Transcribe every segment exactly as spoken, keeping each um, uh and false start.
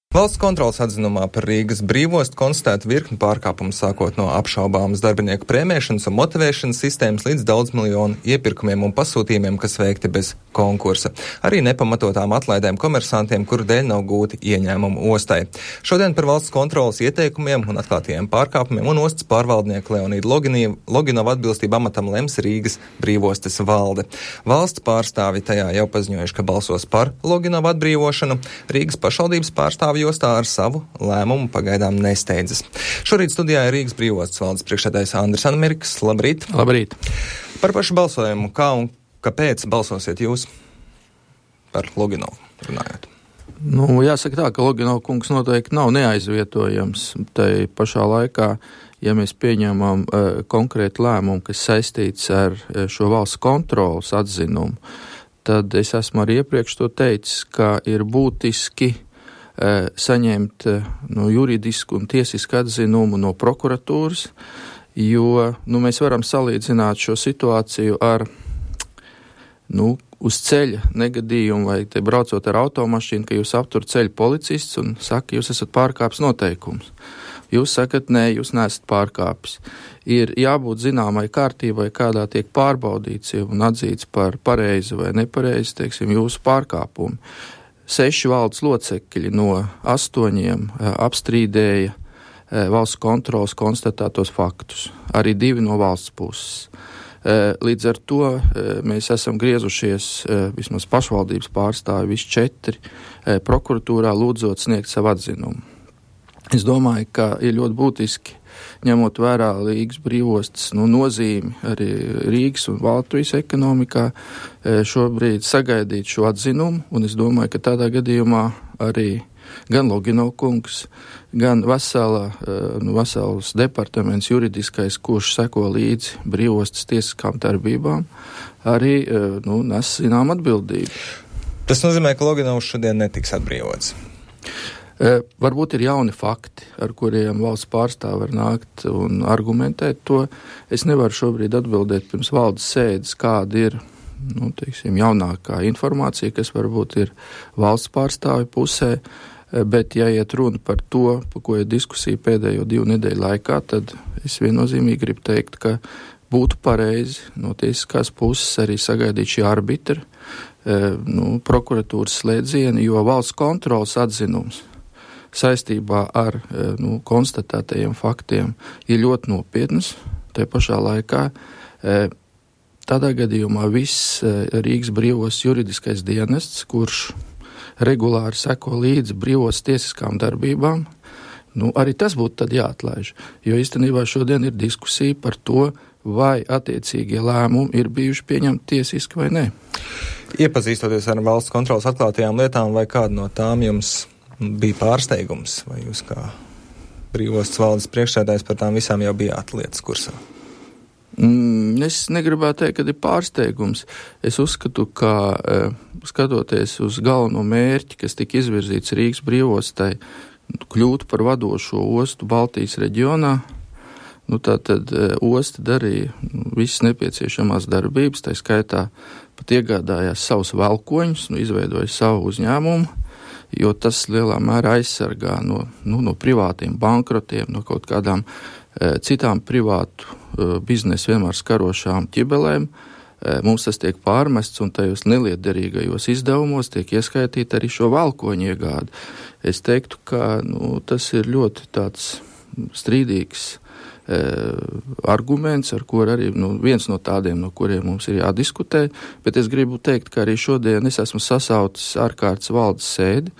Valsts kontroles atzinumā par Rīgas brīvostu konstatēta virkni pārkāpumu, sākot no apšaubāmas darbinieku prēmēšanas un motivēšanas sistēmas līdz daudz miljonu iepirkumiem un pasūtījumiem, kas veikti bez konkursa. Arī nepamatotām atlaidēm komersantiem, kuru dēļ nav gūti ieņēmumu ostai. Šodien par valsts kontroles ieteikumiem un atklātajiem pārkāpumiem un ostas pārvaldnieku Leonīdu Loginovu atbilstību amatam lems Rīgas brīvostes valde. Valsts pārstāvi tajā jau paziņojuši, ka balsos par Loginovu atbrīvošanu. Rīgas pašvaldības pārstāvi ostā ar savu lēmumu pagaidām nesteidzas. Šorīt studijā ir Rīgas brīvostas valdes priekšsēdētājs Andris Anmirks. Labrīt! Labrīt! Par pašu balsojumu, kā un kāpēc balsosiet jūs par Loginovu runājot? Nu, jāsaka tā, ka Loginova kungs noteikti nav neaizvietojams. Tai pašā laikā, ja mēs pieņemam uh, konkrētu lēmumu, kas saistīts ar uh, šo valsts kontroles atzinumu, tad es esmu arī iepriekš to teicis, ka ir būtiski saņemt no juridisku un tiesisku atzinumu no prokuratūras, jo nu, mēs varam salīdzināt šo situāciju ar nu, uz ceļa negadījumu vai te braucot ar automašīnu, ka jūs aptur ceļu policists un saka, jūs esat pārkāpis noteikumus. Jūs sakat, nē, jūs neesat pārkāpis. Ir jābūt zināmai kārtībai, kādā tiek pārbaudīts un atzīts par pareizi vai nepareizi, teiksim, jūsu pārkāpumu. Seši valdes locekļi no astoņiem apstrīdēja valsts kontroles konstatētos faktus, arī divi no valsts puses. Līdz ar to mēs esam griezušies, vismaz pašvaldības pārstāvi, visi četri, prokuratūrā lūdzot sniegt savu atzinumu. Es domāju, ka ir ļoti būtiski, ņemot vērā Rīgas brīvostas nu, nozīmi arī Rīgas un Latvijas ekonomikā, šobrīd sagaidīt šo atzinumu, un es domāju, ka tādā gadījumā arī gan Loginova kungs, gan vesela, nu, vesels departaments juridiskais, kurš seko līdzi brīvostas tiesiskām darbībām, arī nu, nes zinām atbildību. Tas nozīmē, ka Loginovs šodien netiks atbrīvots. E, varbūt ir jauni fakti, ar kuriem valsts pārstāvi var nākt un argumentēt to. Es nevaru šobrīd atbildēt pirms valdes sēdes, kāda ir nu, teiksim, jaunākā informācija, kas varbūt ir valsts pārstāvi pusē, bet ja iet runa par to, par ko ir diskusija pēdējo divu nedēļu laikā, tad es viennozīmīgi gribu teikt, ka būtu pareizi no tiesiskās puses arī sagaidīt šī arbitra, e, nu, prokuratūras slēdzieni, jo valsts kontroles atzinums saistībā ar nu, konstatētajiem faktiem ir ļoti nopietnas. Te pašā laikā tādā gadījumā viss Rīgas brīvos juridiskais dienests, kurš regulāri seko līdzi brīvos tiesiskām darbībām, nu, arī tas būtu tad jāatlaiž. Jo īstenībā šodien ir diskusija par to, vai attiecīgie lēmumi ir bijuši pieņemti tiesiski vai nē. Iepazīstoties ar valsts kontroles atklātajām lietām, vai kāda no tām jums bija pārsteigums, vai jūs kā brīvostas valdes priekšsēdājs par tām visām jau bijāt lietas kursā? Mm, es negribētu teikt, ka ir pārsteigums. Es uzskatu, ka skatoties uz galveno mērķi, kas tika izvirzīts Rīgas brīvostai, kļūt par vadošo ostu Baltijas reģionā, nu tātad osta darīja visas nepieciešamās darbības, tā skaitā pat iegādājās savus velkoņus, nu izveidoja savu uzņēmumu, jo tas lielā mērā aizsargā no, nu, no privātiem bankrotiem, no kaut kādām e, citām privātu e, biznesu vienmēr skarošām ķibelēm. E, mums tas tiek pārmests un tajos nelietderīgajos izdevumos tiek ieskaitīta arī šo valkoņu iegādi. Es teiktu, ka nu, tas ir ļoti tāds strīdīgs e, arguments, ar kur arī nu, viens no tādiem, no kuriem mums ir jādiskutē, bet es gribu teikt, ka arī šodien es esmu sasaucis ārkārtas valdes sēdi,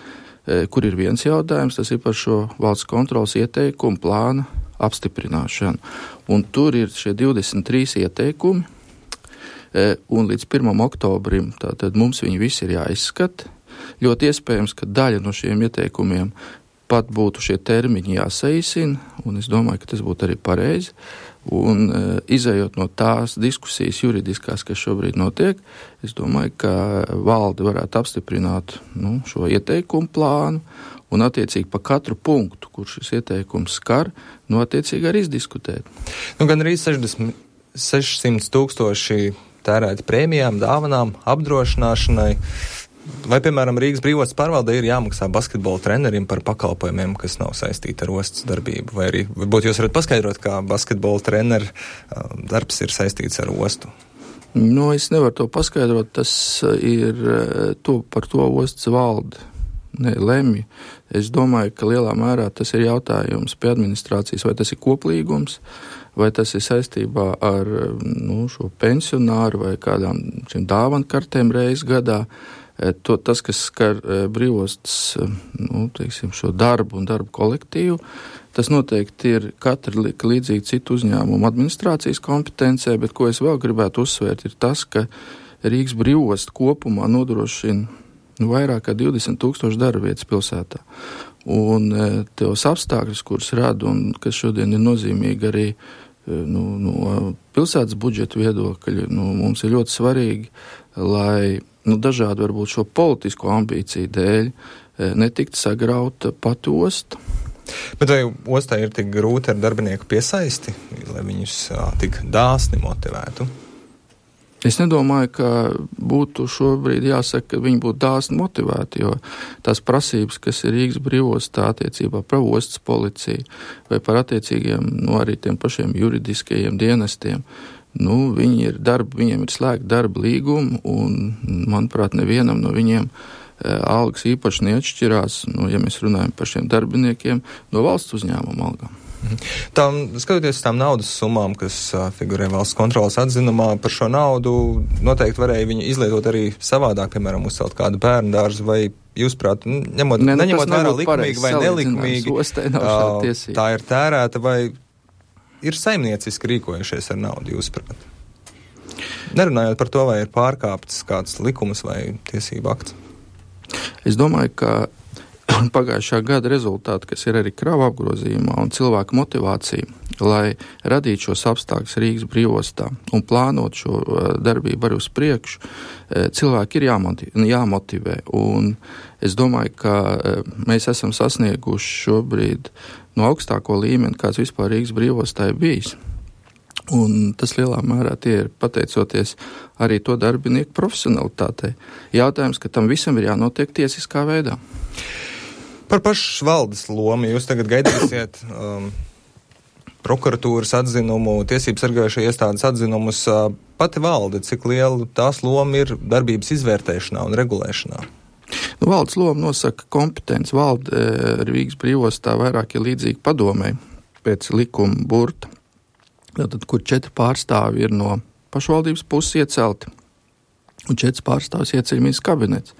e, kur ir viens jautājums, tas ir par šo valsts kontroles ieteikumu plāna apstiprināšanu. Un tur ir šie divdesmit trīs ieteikumi, e, un līdz pirmam oktobrim tātad mums viņi visi ir jāizskata. Ļoti iespējams, ka daļa no šiem ieteikumiem pat būtu šie termiņi jāsaīsina, un es domāju, ka tas būtu arī pareizi. Un e, izējot no tās diskusijas juridiskās, kas šobrīd notiek, es domāju, ka valde varētu apstiprināt nu, šo ieteikumu plānu, un attiecīgi pa katru punktu, kur šis ieteikums skar, nu attiecīgi arī izdiskutēt. Nu, gan arī sešsimt tūkstoši tērēti prēmijām, dāvanām, apdrošināšanai. Vai, piemēram, Rīgas brīvostas pārvaldē ir jāmaksā basketbola trenerim par pakalpojumiem, kas nav saistīti ar ostas darbību? Vai arī, varbūt jūs varat paskaidrot, kā basketbola treneru darbs ir saistīts ar ostu? Nu, es nevaru to paskaidrot, tas ir to, par to ostas valde. Ne, lemj. Es domāju, ka lielā mērā tas ir jautājums pie administrācijas, vai tas ir koplīgums, vai tas ir saistībā ar nu, šo pensionāru vai kādām šiem dāvankartēm reizes gadā. To, tas, kas skar brīvostas nu, teiksim, šo darbu un darbu kolektīvu, tas noteikti ir katra līdzīgi citu uzņēmumu administrācijas kompetencē, bet ko es vēl gribētu uzsvērt, ir tas, ka Rīgas brīvosta kopumā nodrošina nu, vairāk kā divdesmit tūkstoši darba vietas pilsētā. Un tos apstākļus, kurus rada un kas šodien ir nozīmīgi arī nu, no pilsētas budžeta viedokļa, nu, mums ir ļoti svarīgi, lai nu, dažādi varbūt šo politisko ambīciju dēļ netikt sagrauta pati osta. Bet vai ostā ir tik grūti ar darbinieku piesaisti, lai viņus tik dāsni motivētu? Es nedomāju, ka būtu šobrīd jāsaka, ka viņi būtu dāsni motivēti, jo tās prasības, kas ir Rīgas brīvostā attiecībā par ostas policiju vai par attiecīgiem, nu, arī tiem pašiem juridiskajiem dienestiem, nu, viņi ir darba, viņiem ir slēgta darba līguma un, manuprāt, nevienam no viņiem e, algas īpaši neatšķirās, nu, ja mēs runājam par šiem darbiniekiem, no valsts uzņēmuma algām. Tām, skatoties tām naudas summām, kas uh, figurē valsts kontrolas atzinumā, par šo naudu noteikti varēja viņi izlietot arī savādāk, piemēram, uzcelt kādu bērnu dārzu, vai jūs prāt, ņemot, ne, neņemot vērā likumīgi vai nelikumīgi, uh, tā ir tērēta, vai ir saimnieciski rīkojušies ar naudu, jūs prāt? Nerunājot par to, vai ir pārkāpts kāds likums vai tiesība akts. Es domāju, ka pagājušā gada rezultāti, kas ir arī krava apgrozījumā un cilvēku motivācija, lai radītu šos apstākļus Rīgas brīvostā un plānot šo darbību arī uz priekšu, cilvēki ir jāmotivē. Un es domāju, ka mēs esam sasnieguši šobrīd no augstāko līmeni, kāds vispār Rīgas brīvostā ir bijis. Un tas lielā mērā tie ir pateicoties arī to darbinieku profesionalitātei. Jautājums, ka tam visam ir jānotiek tiesiskā veidā. Par pašu valdes lomu jūs tagad gaidīsiet um, prokuratūras atzinumu, tiesības sargājušo iestādes atzinumus. Uh, pati valde, cik liela tās loma ir darbības izvērtēšanā un regulēšanā? Nu, valdes loma nosaka kompetenci. Valde e, Rīgas brīvostā vairāk ir līdzīgi padomē pēc likuma burta. Tātad, kur četri pārstāvi ir no pašvaldības puses iecelti un četri pārstāvis ieceļ ministrs kabinets.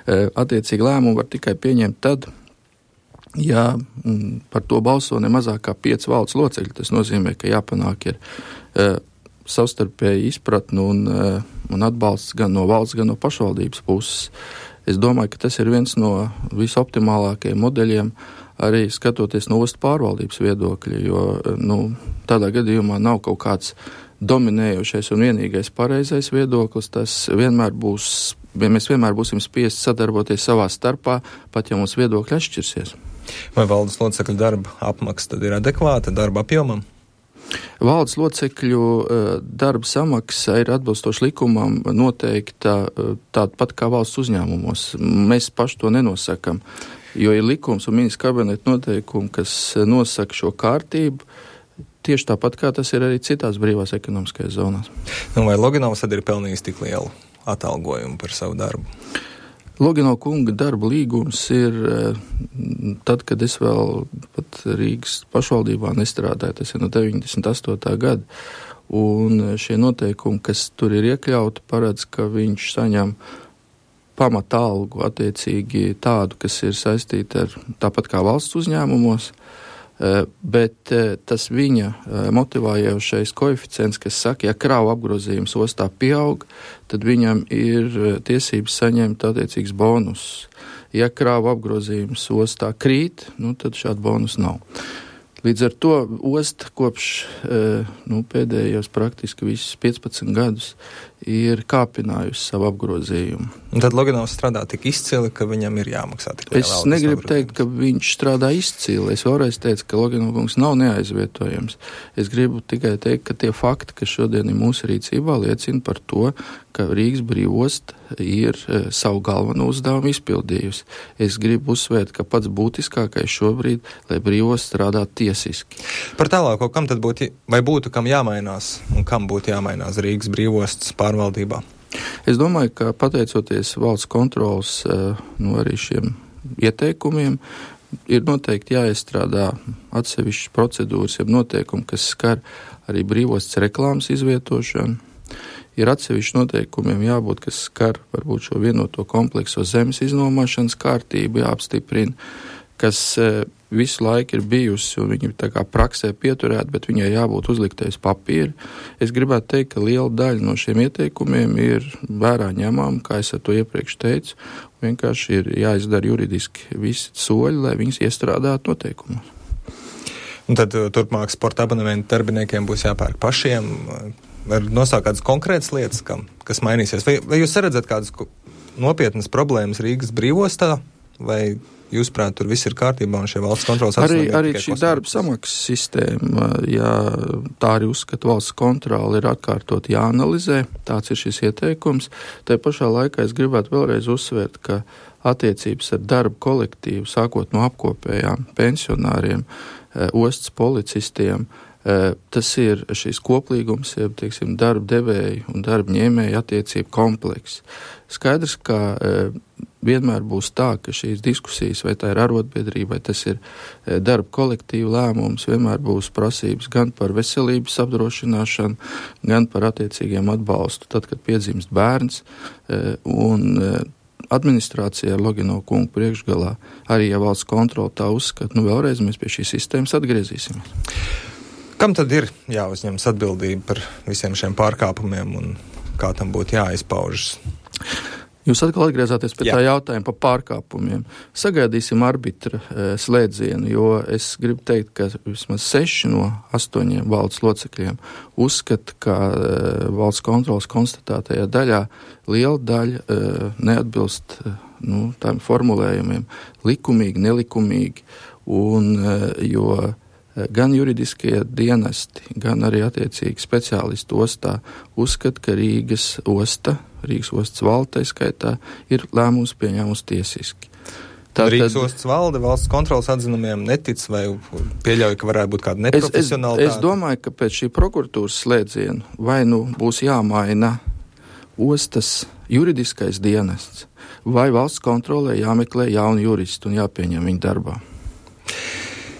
Attiecīgi lēmumu var tikai pieņemt tad, ja m, par to balso ne mazāk kā pieci valdes locekļi. Tas nozīmē, ka jāpanāk ir e, savstarpēji izpratni un, e, un atbalsts gan no valsts, gan no pašvaldības puses. Es domāju, ka tas ir viens no visoptimālākajiem modeļiem, arī skatoties no ostas pārvaldības viedokļa, jo nu, tādā gadījumā nav kaut kāds dominējošais un vienīgais pareizais viedoklis. Tas vienmēr būs, mēs vienmēr būsim spiesti sadarboties savā starpā, pat ja mums viedokļi atšķirsies. Vai valdes locekļu darba apmaksa tad ir adekvāta darba apjomam? Valdes locekļu darba samaksa ir atbilstoši likumam noteikta tāda pat kā valsts uzņēmumos. Mēs paši to nenosakam, jo ir likums un ministra kabineta noteikumi, kas nosaka šo kārtību, tieši tāpat kā tas ir arī citās brīvās ekonomiskajās zonās. Nu, vai Loginovs tad ir pelnījis tik lielu atalgojumu par savu darbu? Loginova kunga darba līgums ir tad, kad es vēl pat Rīgas pašvaldībā nestrādāju, tas ir no deviņdesmit astotā gada, un šie noteikumi, kas tur ir iekļauti, paredz, ka viņš saņem pamata algu attiecīgi tādu, kas ir saistīta ar tāpat kā valsts uzņēmumos, bet tas viņa motivējošais koeficients, kas saka, ja kravu apgrozījums ostā pieaug, tad viņam ir tiesības saņemt attiecīgs bonus. Ja kravu apgrozījums ostā krīt, nu, tad šādu bonus nav. Līdz ar to osta kopš nu, pēdējos praktiski visus piecpadsmit gadus ir kāpinājusi savu apgrozījumu. Un tad Loginovs strādā tik izcili, ka viņam ir jāmaksā tik liela algas. Es negribu teikt, ka viņš strādā izcili. Es vēlreiz teicu, ka Loginovs nav neaizvietojams. Es gribu tikai teikt, ka tie fakti, kas šodien ir mūsu rīcībā, liecina par to, ka Rīgas brīvosta ir e, savu galveno uzdevumu izpildījusi. Es gribu uzsvērt, ka pats būtiskākais šobrīd, lai brīvosta strādā tiesiski. Par tālāko, kam tad būtu, vai būtu kam jāmainās un kam būtu jāmainās Rīgas brīvostas pārvaldībā? Es domāju, ka pateicoties valsts kontrolas nu, arī šiem ieteikumiem, ir noteikti jāiestrādā atsevišķas procedūras, jeb noteikumi, kas skar arī brīvostas reklāmas izvietošanu. Ir atsevišķi noteikumiem jābūt, kas skar varbūt šo vienoto komplekso zemes iznomāšanas kārtību, jāapstiprina, kas e, visu laiku ir bijusi un viņi tā kā praksē pieturēt, bet viņai jābūt uzliktais papīri. Es gribētu teikt, ka liela daļa no šiem ieteikumiem ir vērā ņemama, kā es ar to iepriekš teicu, vienkārši ir jāizdara juridiski visi soļi, lai viņas iestrādātu noteikumos. Un tad turpmāk sporta abonementu darbiniekiem būs jāpērk pašiem. Var nosaukt kādas konkrētas lietas, kam, kas mainīsies? Vai, vai jūs redzat kādas nopietnas problēmas Rīgas brīvostā, vai jūsuprāt, tur viss ir kārtībā un šie valsts kontrolas arī, arī šī darba samaksas sistēma, ja tā arī uzskata valsts kontrola, ir atkārtot jāanalizē, tāds ir šis ieteikums. Tā pašā laikā es gribētu vēlreiz uzsvērt, ka attiecības ar darba kolektīvu, sākot no apkopējām pensionāriem, ostas policistiem, tas ir šīs koplīgums, jeb, teiksim, darba devēju un darba ņēmēju attiecību komplekss. Skaidrs, ka vienmēr būs tā, ka šīs diskusijas, vai tā ir arotbiedrība, vai tas ir darba kolektīva lēmums, vienmēr būs prasības gan par veselības apdrošināšanu, gan par attiecīgiem atbalstu, tad, kad piedzimst bērns, un administrācija ar Loginovu kungu priekšgalā, arī ja valsts kontrola tā uzskata, nu vēlreiz mēs pie šīs sistēmas atgriezīsimies. Kam tad ir jāuzņemas atbildība par visiem šiem pārkāpumiem un kā tam būtu jāizpaužas? Jūs atkal atgriezāties pie Jā. tā jautājuma par pārkāpumiem. Sagaidīsim arbitra e, slēdzienu, jo es gribu teikt, ka vismaz seši no astoņiem valdes locekļiem uzskata, ka e, valsts kontrolas konstatētajā daļā liela daļa e, neatbilst e, nu, tām formulējumiem likumīgi, nelikumīgi, un, e, jo gan juridiskie dienesti, gan arī attiecīgi speciālisti ostā uzskata, ka Rīgas osta, Rīgas ostas valde, skaitā, ir lēmums pieņēmusi tiesiski. Tātad, Rīgas ostas valde valsts kontrolas atzinumiem netic vai pieļauj, ka varētu būt kāda neprofesionālitāte? Es, es, es domāju, ka pēc šī prokuratūras slēdziena vai nu būs jāmaina ostas juridiskais dienests, vai valsts kontrolē jāmeklē jauni juristi un jāpieņem viņu darbā.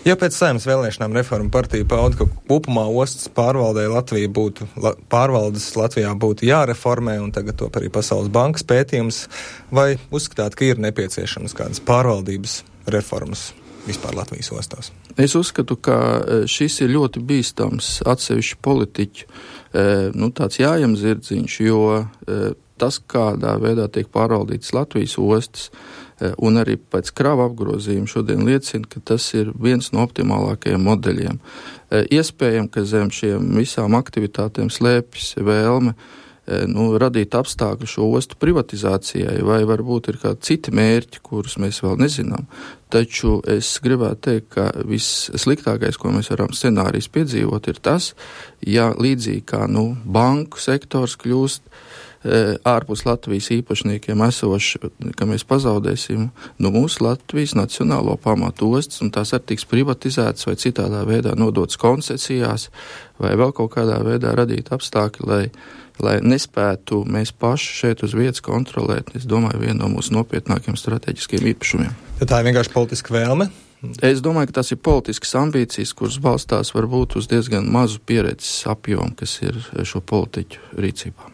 Ja pēc Saeimas vēlēšanām Reforma partija pauda, ka kopumā ostas pārvaldē Latvija būtu, la, pārvaldes Latvijā būtu jāreformē, un tagad to arī Pasaules bankas pētījums, vai uzskatāt, ka ir nepieciešamas kādas pārvaldības reformas vispār Latvijas ostās? Es uzskatu, ka šis ir ļoti bīstams atsevišķu politiķu, nu, tāds jājam zirdziņš, jo tas, kādā veidā tiek pārvaldītas Latvijas ostas, un arī pēc krava apgrozījuma šodien liecina, ka tas ir viens no optimālākajiem modeļiem. Iespējams, ka zem šiem visām aktivitātēm slēpjas vēlme nu, radīt apstākļu šo ostu privatizācijai, vai varbūt ir kādi citi mērķi, kurus mēs vēl nezinām. Taču es gribētu teikt, ka vissliktākais, ko mēs varam scenārijs piedzīvot, ir tas, ja līdzīgi kā nu, banku sektors kļūst ārpus Latvijas īpašniekiem esoši, ka mēs pazaudēsim no mūsu Latvijas nacionālo pamatu ostas, un tās arī tiks privatizētas vai citādā veidā nodotas koncesijās, vai vēl kaut kādā veidā radīt apstākļi, lai, lai nespētu mēs paši šeit uz vietas kontrolēt, es domāju, vienu no mūsu nopietnākiem strateģiskiem īpašumiem. Tad tā ir vienkārši politiska vēlme? Es domāju, ka tas ir politiskas ambīcijas, kuras balstās varbūt uz diezgan mazu pieredzes apjomu, kas ir šo politiķu rīcībā.